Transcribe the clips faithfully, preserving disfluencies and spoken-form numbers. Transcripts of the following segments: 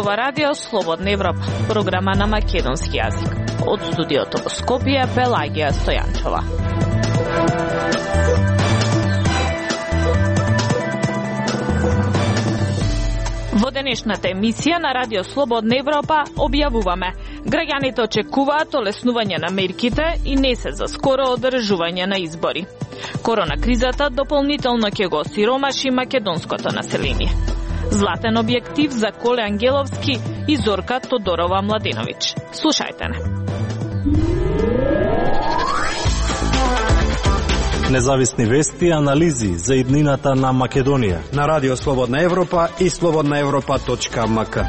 ова радио Слободна Европа, програма на македонски јазик. Од студиото во Скопје, Пелагија Стојанчова. Во денешната емисија на Радио Слободна Европа објавуваме: граѓаните очекуваат олеснување на мерките и не се за скоро одржување на избори. Корона кризата дополнително ќе го сиромаши македонското население. Златен објектив за Коле Ангеловски и Зорка Тодорова Младеновиќ. Слушајте не. Независни вести и анализи за иднината на Македонија на Радио Слободна Европа и слободна европа точка ем ка.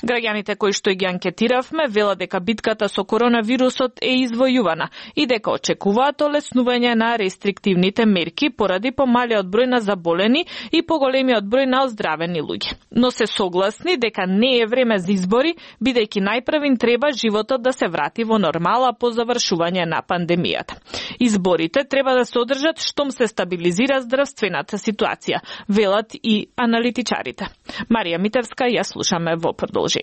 Граѓаните кои што ги анкетиравме велат дека битката со коронавирусот е извојувана и дека очекуваат олеснување на рестриктивните мерки поради помалиот број на заболени и поголемиот број на оздравени луѓе. Но се согласни дека не е време за избори, бидејќи најпрвин треба животот да се врати во нормала по завршување на пандемијата. Изборите треба да се одржат штом се стабилизира здравствената ситуација, велат и аналитичарите. Марија Митевска ја слушаме во продолжение.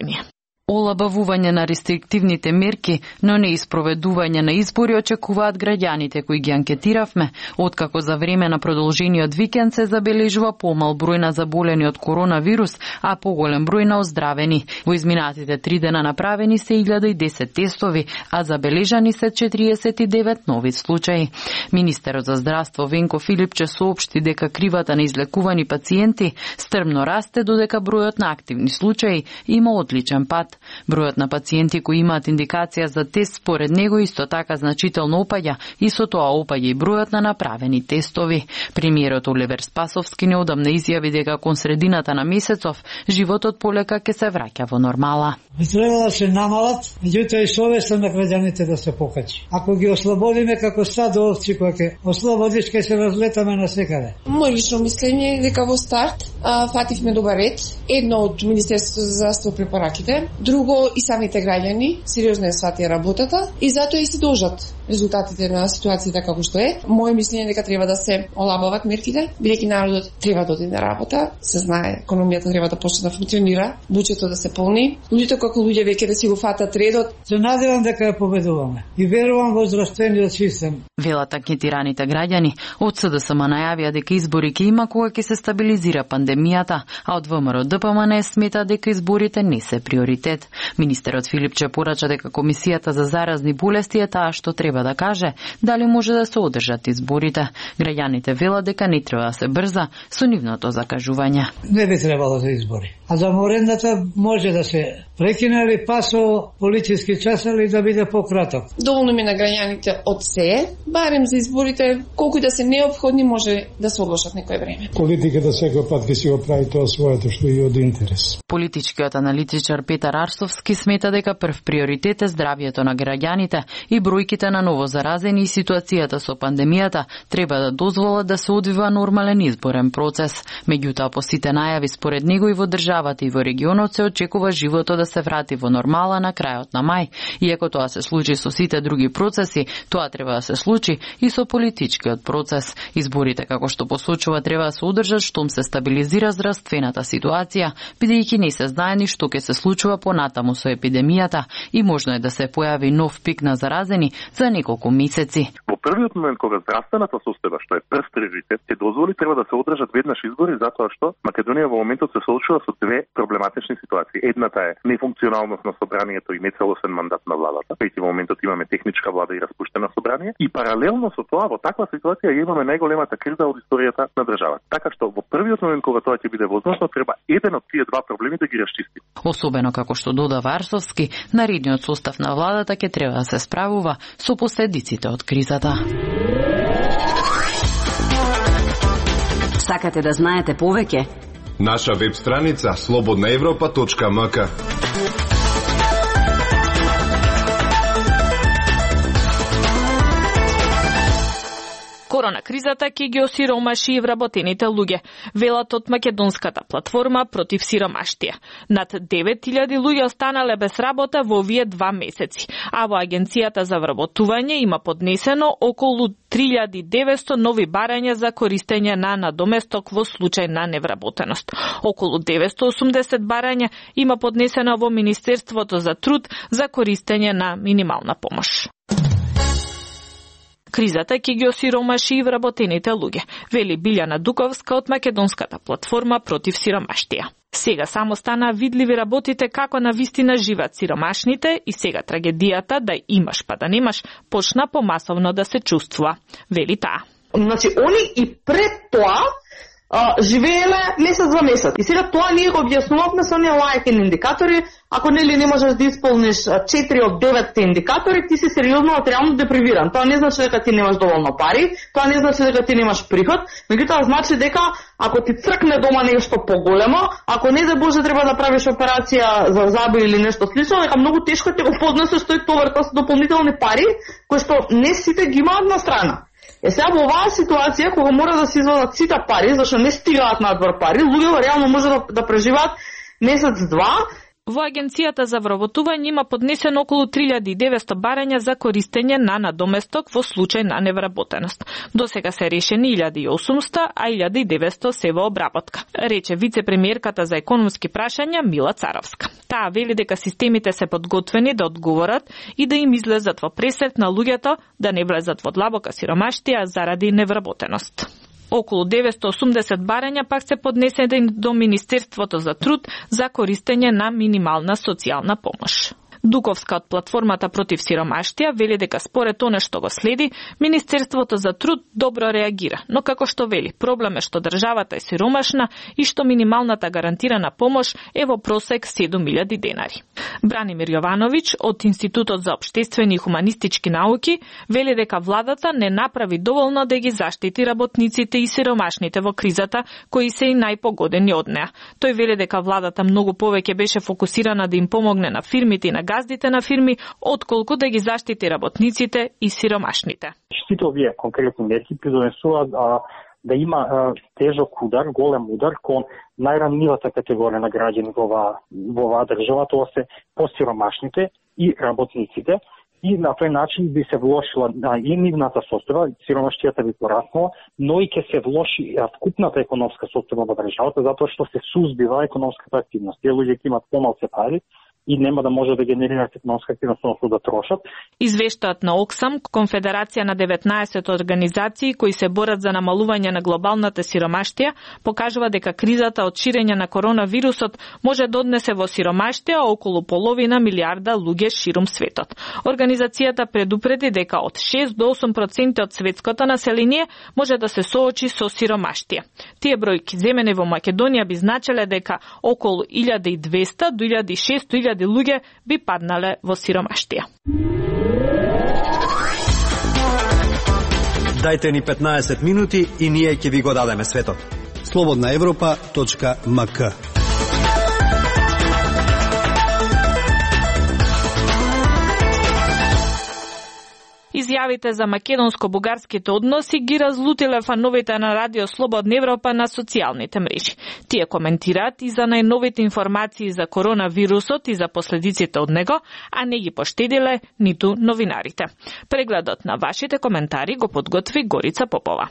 Олабавување на рестриктивните мерки, но не испроведување на избори очекуваат граѓаните кои ги анкетиравме, откако за време на продолжениот викенд се забележува помал број на заболени од коронавирус, а поголем број на оздравени. Во изминатите три дена направени се илјада и десет тестови, а забележани се четириесет и девет нови случаи. Министерот за здравство Венко Филипче соопшти дека кривата на излекувани пациенти стрмно расте, додека бројот на активни случаи има одличен пат. Бројот на пациенти кои имаат индикација за тест според него исто така значително опаѓа и со тоа опаѓа и бројот на направени тестови. Премиерот Оливер Спасовски неодамна изјави дека кон средината на месецов животот полека ќе се враќа во нормала. Би требало да се намалат, меѓутоа и совеста на граѓаните да се покачи. Ако ги ослободиме како стадо овци кои ќе ослободиш, ќе се разлетаме насекаде. Мој лично мислење е дека во старт а, фативме добар ред. Едно од Министерството за здравство препораките, друго и самите граѓани сериозно ја сватија работата и затоа и се дожат резултатите на ситуацијата како што е. Моје мислење е дека треба да се олабават мерките, бидејќи народот треба да оди на работа, се знае, економијата треба да почне да функционира, буџетот да се полни, луѓето како луѓе веќе да си го фатат редот. Се надевам дека ја победуваме и верувам во здравствениот систем. Велат анкетираните граѓани. Од С Д С М најавија дека избори ќе има кога ќе се стабилизира пандемијата, а од В М Р Д П М Н смета дека изборите не се приоритет. Министерот Филипче порача дека Комисијата за заразни болести е таа што треба да каже дали може да се одржат изборите. Граѓаните велат дека не треба да се брза со нивното закажување. Не би требало за избори. А за морендата може да се прекине или па со политички час или да биде пократок. Доволно ми на граѓаните од се, барем за изборите, колку и да се неопходни може да се одложат некој време. Политиката секој пат ќе си го прави тоа своето што е од интерес. Политичкиот аналитичар Петар Арсовски смета дека прв приоритет е здравјето на граѓаните и бројките на ново заразени и ситуацијата со пандемијата треба да дозволат да се одвива нормален изборен процес. Меѓутоа, по сите најави според него и во државата и во регионот се очекува животот да се врати во нормала на крајот на мај. Иако тоа се случи со сите други процеси, тоа треба да се случи и со политичкиот процес. Изборите, како што посочува, треба да се одржат штом се стабилизира здравствената ситуација, бидејќи не се знае ни што ќе се случува понатаму со епидемијата и можно е да се појави нов пик на заразени за неколку месеци. Во првиот момент кога здравствената состојба, што е прв приоритет, ќе дозволи треба да се одржат веднаш избори затоа што Македонија во моментот се соочува со две проблематични ситуации. Едната е нефункционалност на собранието и нецелосен мандат на владата, кај во моментот имаме техничка влада и распуштено собрание, и паралелно со тоа во таква ситуација ја имаме најголемата криза од историјата на државата. Така што во првиот момент кога тоа ќе биде возможно, треба еден од тие два проблеми да ги расчисти. Особено како што додава Арсовски, наредниот состав на владата ќе треба да се справува со последиците од кризата. Сакате да знаете повеќе? Наша веб страница слободна европа точка ем ка. Корона кризата ќе ги осиромаши и вработените луѓе, велат од македонската платформа против сиромаштија. Над девет илјади луѓе останале без работа во овие два месеци, а во Агенцијата за вработување има поднесено околу три илјади и деветсто нови барања за користење на надоместок во случај на невработеност. Околу деветсто осумдесет барања има поднесено во Министерството за труд за користење на минимална помош. Кризата ќе ги осиромаши и вработените луѓе, вели Билјана Дуковска од македонската платформа против сиромаштија. Сега само стана видливи работите како на вистина живеат сиромашните и сега трагедијата да имаш па да немаш почна помасовно да се чувствува, вели таа. Значи, они и пред тоа а, живееле месец за месец. И сега тоа ние го објаснувавме со оние лајки индикатори. Ако нели не можеш да исполниш четири од деветте индикатори, ти си сериозно материјално депривиран. Тоа не значи дека ти немаш доволно пари, тоа не значи дека ти немаш приход, меѓутоа значи дека ако ти цркне дома нешто поголемо, ако не за Боже треба да правиш операција за заби или нешто слично, дека многу тешко ќе го поднесеш тој товар, тоа се дополнителни пари кои што не сите ги имаат на страна. Е сега во оваа ситуација кога мора да се извадат сите пари, зашто не стигаат надвор пари, луѓето реално може да, да преживеат месец-два. Во Агенцијата за вработување има поднесено околу три илјади и деветсто барања за користење на надоместок во случај на невработеност. До сега се решени илјада и осумсто, а илјада и деветсто се во обработка, рече вице-премиерката за економски прашања Мила Царовска. Таа вели дека системите се подготвени да одговорат и да им излезат во пресрет на луѓето да не влезат во длабока сиромаштија заради невработеност. Околу деветсто осумдесет барања пак се поднесени до Министерството за труд за користење на минимална социјална помош. Дуковска од платформата против сиромаштија вели дека според она што го следи, Министерството за труд добро реагира, но како што вели, проблем е што државата е сиромашна и што минималната гарантирана помош е во просек седум илјади денари. Бранимир Јовановиќ од Институтот за општествени и хуманистички науки вели дека владата не направи доволно да ги заштити работниците и сиромашните во кризата, кои се и најпогодени од неа. Тој вели дека владата многу повеќе беше фокусирана да им помогне на фирмите и на газдите на фирми, отколку да ги заштити работниците и сиромашните. Сите овие конкретни мерки придонесуваат да има а, тежок удар, голем удар кон најранливата категорија на граѓани во оваа во оваа држава, тоа се посиромашните и работниците. И на тој начин би се влошила и нивната состојба, сиромаштијата би пораснала, но и ќе се влоши вкупната економска состојба во државата, затоа што се сузбива економската активност. Тие луѓе ќе имаат помалку пари и нема да може да генерираат економска активност, односно да трошат. Извештаат на Оксам, конфедерација на деветнаесет организации кои се борат за намалување на глобалната сиромаштија, покажува дека кризата од ширење на коронавирусот може да однесе во сиромаштија околу половина милиарда луѓе ширум светот. Организацијата предупреди дека од шест до осум проценти од светското население може да се соочи со сиромаштија. Тие бројки земени во Македонија би значеле дека околу илјада и двесто до илјада и шестоста луѓе би паднале во сиромаштија. Дајте ни петнаесет минути и ние ќе ви го дадеме светот. слободна европа точка ем ка. Изјавите за македонско-бугарските односи ги разлутиле фановите на Радио Слободна Европа на социјалните мрежи. Тие коментираат и за најновите информации за коронавирусот и за последиците од него, а не ги поштедиле ниту новинарите. Прегледот на вашите коментари го подготви Горица Попова.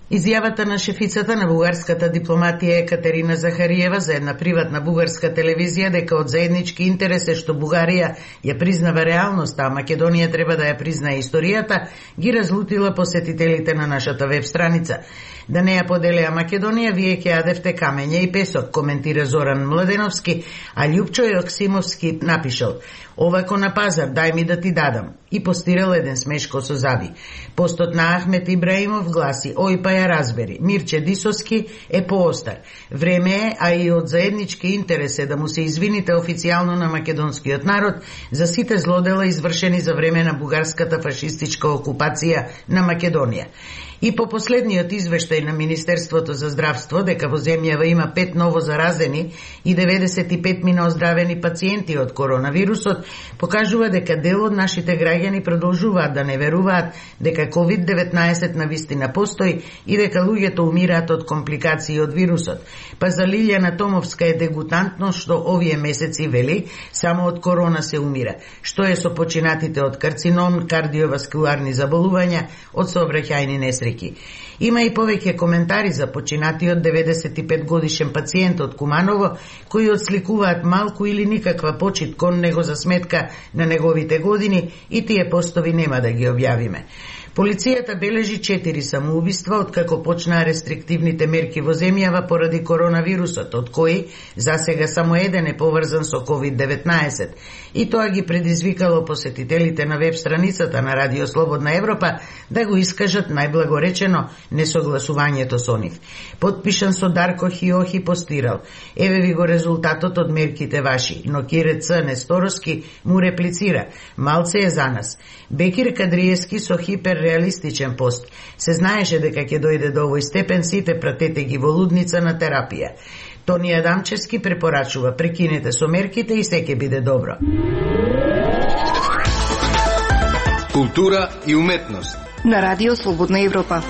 Изјавата на шефицата на бугарската дипломатија Екатерина Захариева за една приватна бугарска телевизија дека од заеднички интерес е што Бугарија ја признава реалноста, а Македонија треба да ја признае историјата, ги разлутила посетителите на нашата веб страница. Да не ја поделеа Македонија, вие ќе јадевте камења и песок, коментира Зоран Младеновски, а Љупчо Јоксимовски напишал: "Овако на пазар, дај ми да ти дадам", и постирал еден смешко со заби. Постот на Ахмет Ибраимов гласи: "Ој па ја разбери, Мирче Дисоски е поостар. Време е, а и од заеднички интерес е да му се извините официјално на македонскиот народ за сите злодела извршени за време на бугарската фашистичка окупација на Македонија." И по последниот извештај на Министерството за здравство дека во земјава има пет ново заразени и деветдесет и пет мина оздравени пациенти од коронавирусот, покажува дека дел од нашите граѓани граѓани продолжуваат да не веруваат дека ковид деветнаесет навистина постои и дека луѓето умираат од компликации од вирусот. Па за Лилјана Томовска е дегутантно што овие месеци вели само од корона се умира. Што е со починатите од карцином, кардиоваскуларни заболувања, од сообраќајни несреќи. Има и повеќе коментари за починатиот деветдесет и пет годишен пациент од Куманово, кои отсликуваат малку или никаква почит кон него за сметка на неговите години, и тие постови нема да ги објавиме. Полицијата бележи четири самоубиства откако почнаа рестриктивните мерки во земјава поради коронавирусот, од кои засега само еден е поврзан со ковид деветнаесет. И тоа ги предизвикало посетителите на веб страницата на Радио Слободна Европа да го искажат најблагоречено несогласувањето со нив. Подпишан со Дарко Хиохи постирал: еве ви го резултатот од мерките ваши, но Кире Ц. Нестороски му реплицира: малце е за нас. Бекир Кадриевски со хиперреалистичен пост: се знаеше дека ќе дојде до овој степен, сите пратете ги во лудница на терапија. Тони Адамчевски препорачува: прекинете со мерките и се ќе биде добро. Култура и уметност на Радио Слободна Европа.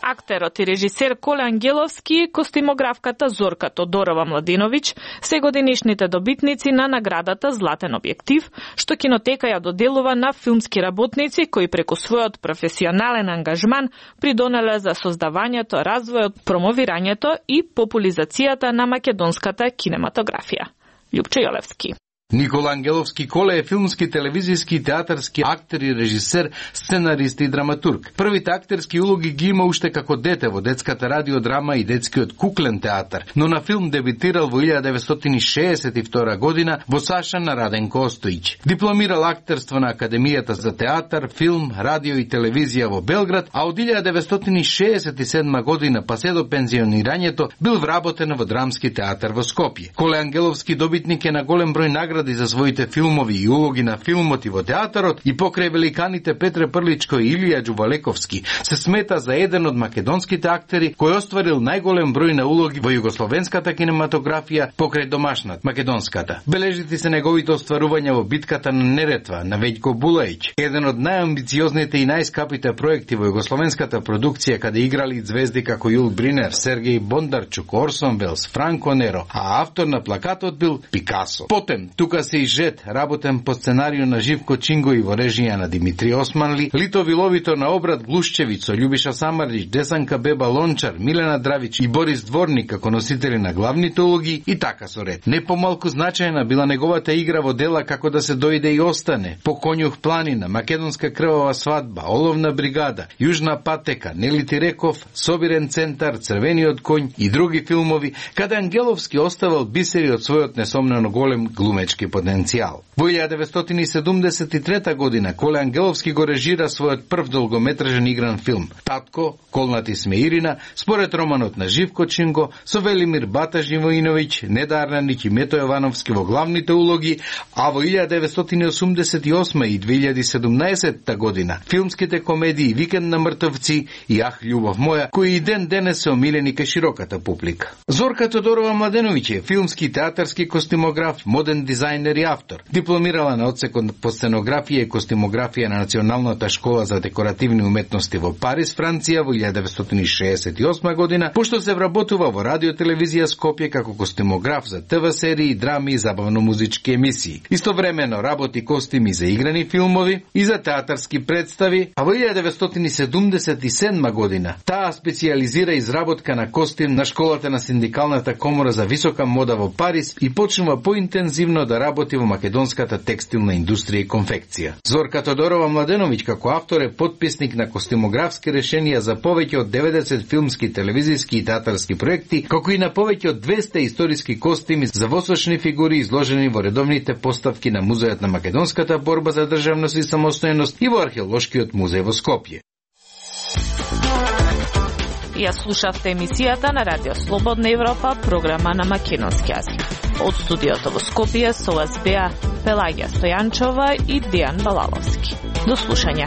Актерот и режисер Коле Ангеловски и костимографката Зорка Тодорова Младиновиќ се годинишните добитници на наградата Златен објектив, што кинотека ја доделува на филмски работници кои преку својот професионален ангажман придонеле за создавањето, развојот, промовирањето и популизацијата на македонската кинематографија. Љупчо Јолевски. Никола Ангеловски Коле е филмски, телевизиски и театарски актер и режисер, сценарист и драматург. Првите актерски улоги ги има уште како дете во детската радиодрама и детскиот куклен театар, но на филм дебитирал во илјада деветстотини шеесет и втора година во Саша на Раденко Остојич. Дипломирал актерство на Академијата за театар, филм, радио и телевизија во Белград, а од илјада деветстотини шеесет и седма година па се до пензионирањето бил вработен во Драмски театар во Скопје. Коле Ангеловски добитник е на голем број награди за своите филмови и улоги на филмот и во театарот, и покрај великаните Петре Прличко и Илија Ѓувалековски се смета за еден од македонските актери кој остварил најголем број на улоги во југословенската кинематографија покрај домашната, македонската. Бележити се неговите остварувања во битката на Неретва на Вејко Булаич, еден од најамбициозните и најскапите проекти во југословенската продукција, каде играли звезди како Јул Бринер, Сергеј Бондарчук, Орсон Велс, Франко Неро, а автор на плакатот бил Пикасо. Потем тука се и Жет, работен по сценарио на Живко Чинго и во режија на Димитри Османли, Лито Виловито на Обрат Глушчевица, Љубиша Самарлич, Десанка Беба Лончар, Милена Дравич и Борис Дворник како носители на главните улоги, и така со ред. Не помалку значајна била неговата игра во дела како да се дојде и остане, По Конјух планина, Македонска крвава свадба, Оловна бригада, Јужна патека, Нели Тиреков, Собирен центар, Црвениот коњ и други филмови, каде Ангеловски оставил бисери од својот несомнено голем глумечки потенцијал. Во илјада деветстотини седумдесет и трета година Коле Ангеловски го режира својот прв долгометражен игран филм Татко, Колнати сме Ирина, според романот на Живко Чинго, со Велимир Бата Живоиновиќ, Неда Арнанич и Мето Јовановски во главните улоги, а во илјада деветстотини осумдесет и осма и две илјади и седумнаесетта година филмските комедии Викенд на мртовци и Ах, љубов моја, кои и ден денес се омилени кај широката публика. Зорка Тодорова Младеновиќ е филмски, театарски костимограф, моден дизајнер и автор. Дипломирала на одсекот по сценографија и костимографија на Националната школа за декоративни уметности во Париз, Франција во илјада деветстотини шеесет и осма година, пошто се вработува во радио телевизија Скопје како костимограф за ТВ серии, драми и забавно-музички емисии. Истовремено работи костими за играни филмови и за театарски представи, а во илјада деветстотини седумдесет и седма година таа специјализира изработка на костим на школата на Синдикалната комора за висока мода во Париз и почнува поинтензивно да работи во македонската текстилна индустрија и конфекција. Зорка Тодорова Младеновиќ како автор е потписник на костимографски решенија за повеќе од деветдесет филмски, телевизиски и театарски проекти, како и на повеќе од двесте историски костими за восочни фигури изложени во редовните поставки на Музејот на македонската борба за државност и самостојност и во Археолошкиот музеј во Скопје. Ја слушавте емисијата на Радио Слободна Европа, програма на македонски јазик. Од студиото во Скопје со вас беа Пелагија Стојанчова и Дејан Балаловски. До слушање.